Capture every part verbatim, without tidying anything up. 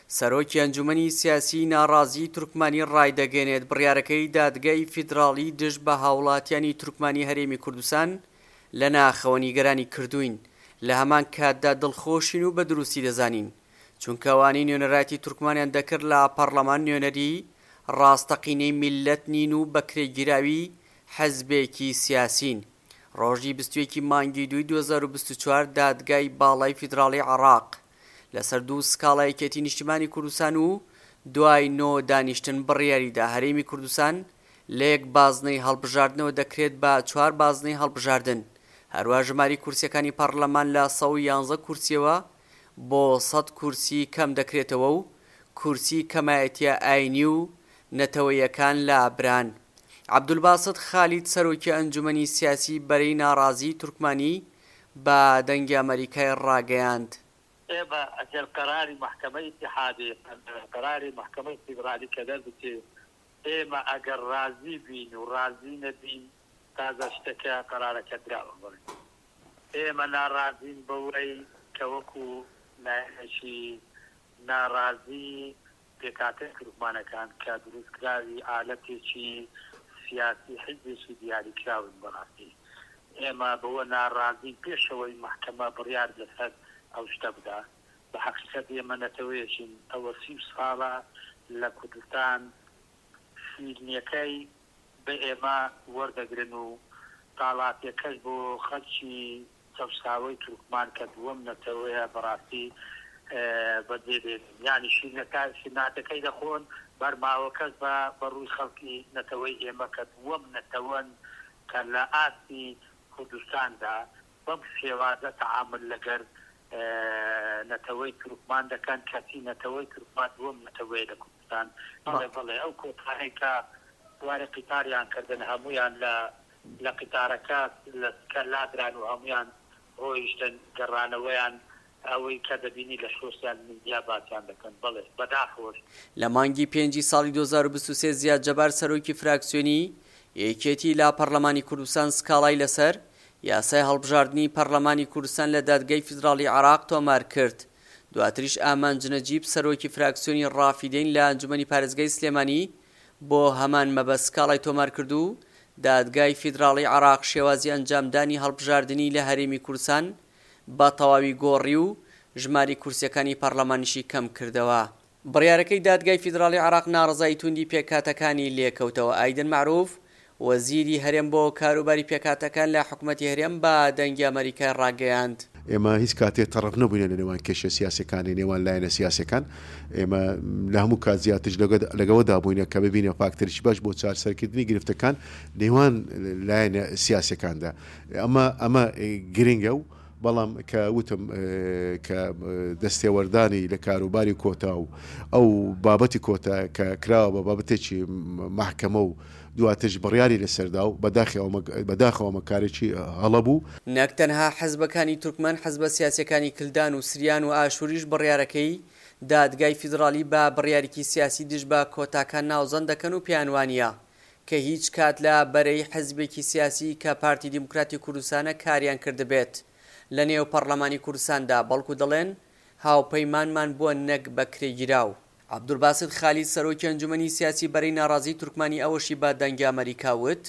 سەرۆکی ئەنجومەنی سیاسیی ناڕازیی تورکمانی ڕایدەگەیەنێت، بڕیارەکەی دادگای فیدراڵی دژ بە هاوڵاتیانی تورکمانی هەرێمی کوردستان لە ناخەوە نیگەرانی کردووین، لە هەمان کاتدا دڵخۆشین و بە دروستی دەزانین، چونکە ئەوانەی نوێنەرایەتی تورکمانیان دەکرد لە پەڕلەمان نوێنەری ڕاستەقینەی میللەت نین و بەکرێگیراوی حزبێکی سیاسین. ڕۆژی بیست و یەک ی مانگی دووی دوو هەزار و بیست و چوار دادگای باڵای فیدراڵی عێراق لەسەر دوو سکاڵا یەکێتی نیشتیمانی کوردستان و دوای نۆ دانیشتن بڕیاریدا هەرێمی کوردستان لە یەک بازنەی هەڵبژاردنەوە دەکرێت بە چوار بازنەی هەڵبژاردن هەروە ژماری کورسیەکانی پەڕلەمان لە سەد و یانزە کورسیەوە بۆ سەد کورسی کەم دەکرێتەوە و کورسی کەمایەتیە ئاینی و نەتەوەیەکان لابران. عەبدولباست خالید سەرۆکی ئەنجومەنی سیاسی بەرەی ناڕازیی تورکمانی بە دەنگی ئەمەریکای ڕاگەیاند، ئێمە ئەگەر قەراری مەحکەمەی ئیتیحادی، قەراری مەحکەمەی فیدرالی کە دەربچێ، ئێمە ئەگەر ڕازی بین و ڕازی نەبین، تازە شتەکە قەرارەکە دراوە. بەڵێ ئێمە ناڕازین بەوەی کە وەکوو لایەنێکی ناڕازی پێکهاتەی تورکمانەکان کە دروستکراوی ئالەتێکی سیاسی حیزبێکی دیاریکراون، بەڕاستی ئێمە بەوە ناڕازین پێشەوەی مەحکەمە بڕیار لەسەر ئەو شتە بدا. بە حەقیقەت ئێمە نەتەوەیەکین ئەوە سی ساڵە لە کوردستان شیرنیەکەی بە ئێمە وەردەگرن و تاڵاتیەکەش بۆ خەلکی چەوساوەی تورکمان کە دووەم نەتەوەیە بەڕاستی بەجێ دێنن یانی شیرنەکە شیرناتەکەی دەخۆن بەرماوەکەش بە بەڕووی خەڵکی نەتەوەی ئێمە کە دووەم نەتەوەن کە لە ئاستی کوردستاندا بەم شێوازە تەعامول لەگەر نەتەوەی تورکمان دەکەن کەچی نەتەوەی تورکمان دووەم نەتەوەیە لە کوردستان. بەڵێ بەڵێ ئەو کۆتانەی کە سواری قیتاریان کردن هەموویان لە لە قیتارەکە لە سکە لادران و هەموویان ڕۆیشتن گەڕانەوەیان ئەوەی کە دەبینی لە سۆسیال میدیا باسیان دەکەن بەڵێ بەداخەوەش. لە مانگی پێنجی ساڵی دوو هەزار و بیست و سێ زیاد جەبار سەرۆکی فراکسیۆنی یەکێتی لە پەڕلەمانی کوردستان سکاڵای لەسەر یاسای هەڵبژاردنی پەڕلەمانی کوردستان لە دادگای فیدراڵی عێراق تۆمار کرد، دواتریش ئامانج نەجیب سەرۆکی فراکسیۆنی ڕافیدەین لە ئەنجومەنی پارێزگای سلێمانی بۆ هەمان مەبەست سکاڵای تۆمار کرد و دادگای فیدراڵی عێراق شێوازی ئەنجامدانی هەڵبژاردنی لە هەرێمی کوردستان بە تەواوی گۆڕی و ژماری کورسیەکانی پەڕلەمانیشی کەم کردەوە. بڕیارەکەی دادگای فیدراڵی عێراق ناڕەزایی توندی پێکهاتەکانی لێکەوتەوە. ئایدن مەعروف، وەزیری هەرێم بۆ کاروباری پێکهاتەکان لە حکومەتی هەرێم بە دەنگی ئەمەریکای ڕاگەیاند، ئێمە هیچ کاتێ تەڕەف نەبووینە لە نێوان کێشە سیاسیەکانی نێوان لایەنە سیاسیەکان، ئێمە لە هەموو کات زیاتریش لەگەوەدا بووینە کە ببینە فاکتەرێکی باش بۆ چارسەرکردنی گرفتەکان نێوان لایەنە سیاسیەکاندا. ئەمە ئەمە گرنگە و بەڵام کە وتم کە دەستێوەردانی لە کاروباری کۆتا و ئەو بابەتی کۆتا کە کراوە بە بابەتێکی مەحکەمە و دواترش بڕیاری لەسەردا و بەداخەوە ئەمە کارێکی هەڵە بوو. نەک تەنها حزبەکانی تورکمان، حزبە سیاسیەکانی کلدان و سریان و ئاشوریش بڕیارەکەی دادگای فیدراڵی بە بڕیارێکی سیاسی دژ بە کۆتاکان ناوزەند دەکەن و پێیان وانیە کە هیچ کات لە بەرەی حزبێکی سیاسی کە پارتی دیموکراتی کوردستانە کاریان کردبێت لە نێو پەڕلەمانی کوردستاندا، بەڵکو دەڵێن هاوپەیمانمان بووە نەک بەکرێگیراو. عەبدولباست خالید سەرۆکی ئەنجومەنی سیاسی بەرەی ناڕازیی تورکمانی ئەوەشی بە دەنگی ئەمەریکا وت،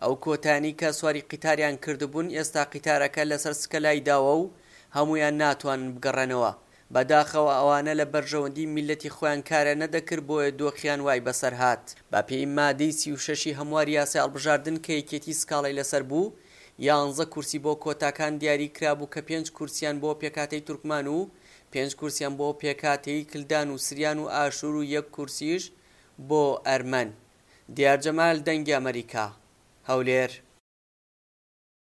ئەو کۆتایانەی کە سواری قیتاریان کردبوون ئێستا قیتارەکە لەسەر سکە لایداوە و هەموویان ناتوانن بگەڕێنەوە، بەداخەوە ئەوانە لە بەرژەوەندی میللەتی خۆیان کاریان نەدەکرد بۆیە دۆخیان وای بەسەر هات. بەپێی مادەی سی و شەش ی هەمواری یاسای هەڵبژاردن کە یەکێتی سکاڵای لەسەر بوو، یانزە کورسی بۆ کۆتاکان دیاری کرابوو کە پێنج کورسیان بۆ پێکهاتەی تورکمان و پێنج کورسیان بۆ پێکهاتەی کلدان و سریان و ئاشور و یەک کورسیش بۆ ئەرمەن. دیار جەمال، دەنگی ئەمەریکا، هەولێر.